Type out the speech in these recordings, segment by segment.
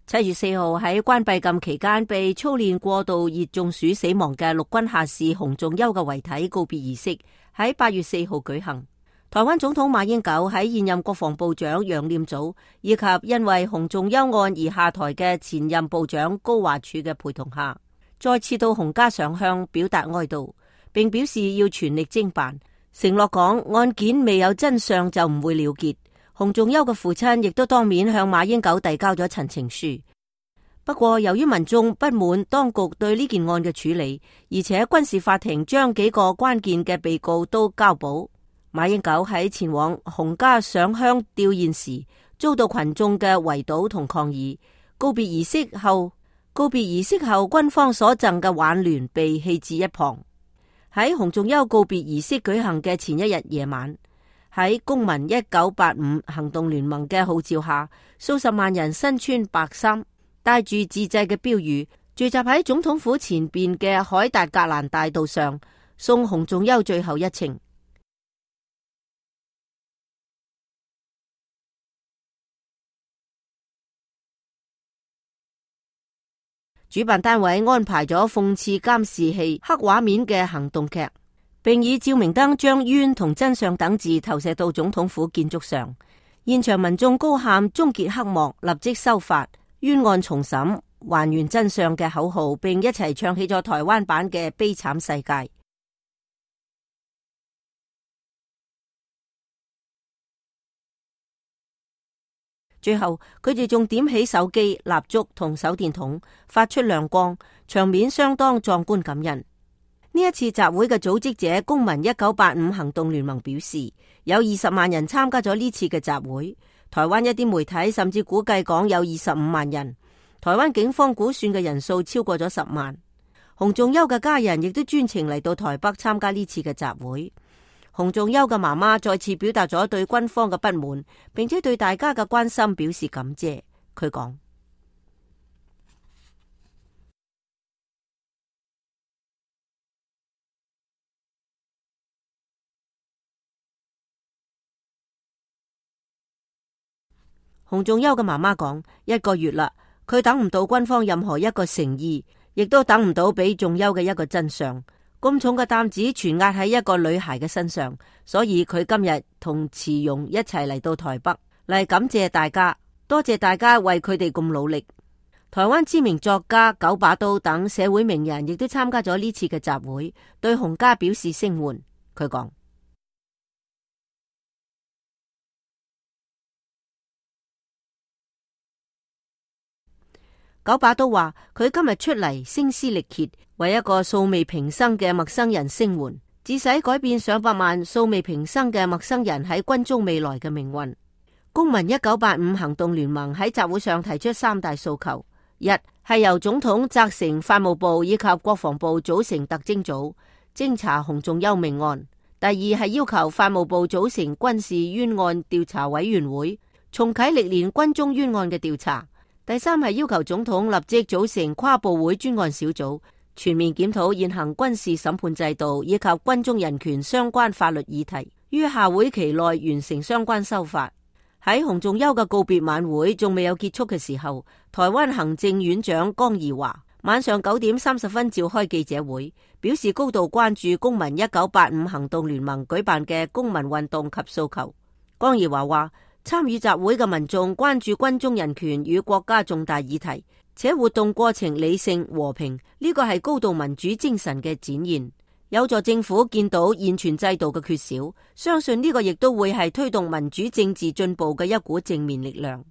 7月4號喺關閉禁期間被操練過度熱中暑死亡嘅陸軍下士洪仲丘嘅遺體告別儀式喺8月4號舉行。台灣總統馬英九喺現任國防部長楊念祖以及因為洪仲丘案而下台嘅前任部長高華柱嘅陪同下，再次到洪家上香表達哀悼，並表示要全力偵辦，承諾講案件未有真相就唔會了結。洪仲丘嘅父親亦都當面向馬英九遞交咗陳情書。不過由於民眾不滿當局對呢件案嘅處理，而且軍事法庭將幾個關鍵嘅被告都交保，馬英九喺前往洪家上香吊唁時遭到群眾嘅圍堵同抗議。告別儀式後，軍方所贈嘅輓聯被棄置一旁。喺洪仲丘告別儀式舉行嘅前一日夜晚，喺公民1985行動聯盟嘅號召下，數十萬人身穿白衫，帶住自製嘅標語，聚集喺總統府前邊嘅海達格蘭大道上，送洪仲丘最後一程。主辦單位安排咗諷刺監視器黑畫面嘅行動劇，並以照明燈將冤同真相等字投射到總統府建築上。現場民眾高喊終結黑幕，立即修法，冤案重審，還原真相嘅口號，並一齊唱起咗台灣版嘅悲慘世界。最後佢哋仲點起手機、蠟燭同手電筒，發出亮光，場面相當壯觀感人。呢一次集會嘅組織者公民1985行動聯盟表示，有20萬人參加咗呢次嘅集會。台灣一啲媒體甚至估計講有25萬人，台灣警方估算嘅人數超過咗10萬。洪仲丘嘅家人亦都專程嚟到台北參加呢次嘅集會。洪仲丘嘅媽媽再次表達咗對軍方嘅不滿，並且對大家嘅關心表示感謝。佢講：洪仲丘嘅媽媽講，1個月啦，佢等唔到軍方任何一個誠意，亦都等唔到俾仲丘嘅一個真相。咁重嘅擔子全壓喺一個女孩嘅身上，所以佢今日同慈容一齊嚟到台北嚟感謝大家，多謝大家為佢哋咁努力。台灣知名作家九把刀等社會名人亦都參加咗呢次嘅集會，對洪家表示聲援。佢講：九把刀話佢今日出嚟聲嘶力竭，為一個素未平生嘅陌生人聲援，致使改變上百萬素未平生嘅陌生人喺軍中未來嘅命運。公民1985行動聯盟喺集會上提出3大訴求：一係由總統責成法務部以及國防部組成特偵組偵查洪仲丘命案；第二係要求法務部組成軍事冤案調查委員會，重啟歷年軍中冤案嘅調查；第三係要求總統立即組成跨部會專案小組，全面檢討現行軍事審判制度以及軍中人權相關法律議題，於下會期內完成相關修法。喺洪仲丘嘅告別晚會仲未有結束嘅時候，台灣行政院長江宜樺晚上9點30分召開記者會，表示高度關注公民1985行動聯盟舉辦嘅公民運動及訴求。江宜樺話，參與集會嘅民眾關注軍中人權與國家重大議題，且活動過程理性和平，呢個係高度民主精神嘅展現，有助政府見到現存制度嘅缺少，相信呢個亦都會係推動民主政治進步嘅一股正面力量。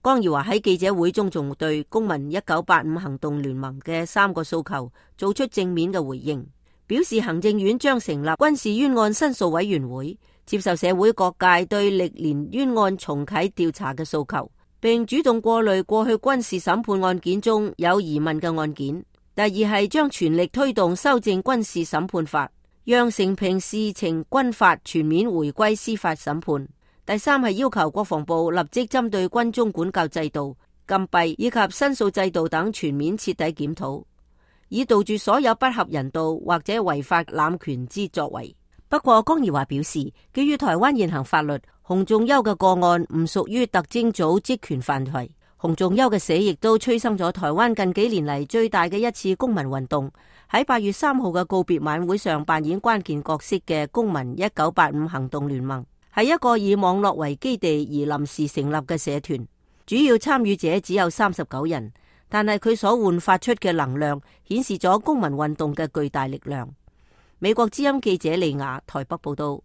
江宜樺喺記者會中仲對公民1985行動聯盟嘅3個訴求做出正面嘅回應，表示行政院將成立軍事冤案申訴委員會，接受社會各界對歷年冤案重啟調查嘅訴求，並主動過濾過去軍事審判案件中有疑問嘅案件。第二係將全力推動修正軍事審判法，讓承平事情軍法全面回歸司法審判。第三係要求國防部立即針對軍中管教制度、禁閉以及申訴制度等全面徹底檢討，以杜絕所有不合人道或者違法濫權之作為。不過江宜樺表示，基於台灣現行法律，洪仲丘嘅個案唔屬於特偵組職權範圍，洪仲丘嘅死亦都催生咗台灣近幾年嚟最大嘅一次公民運動。喺8月3號嘅告別晚會上扮演關鍵角色嘅公民1985行動聯盟，係一個以網絡為基地而臨時成立嘅社團，主要參與者只有39人，但係佢所煥發出嘅能量顯示咗公民運動嘅巨大力量。美國之音記者利亞台北報道。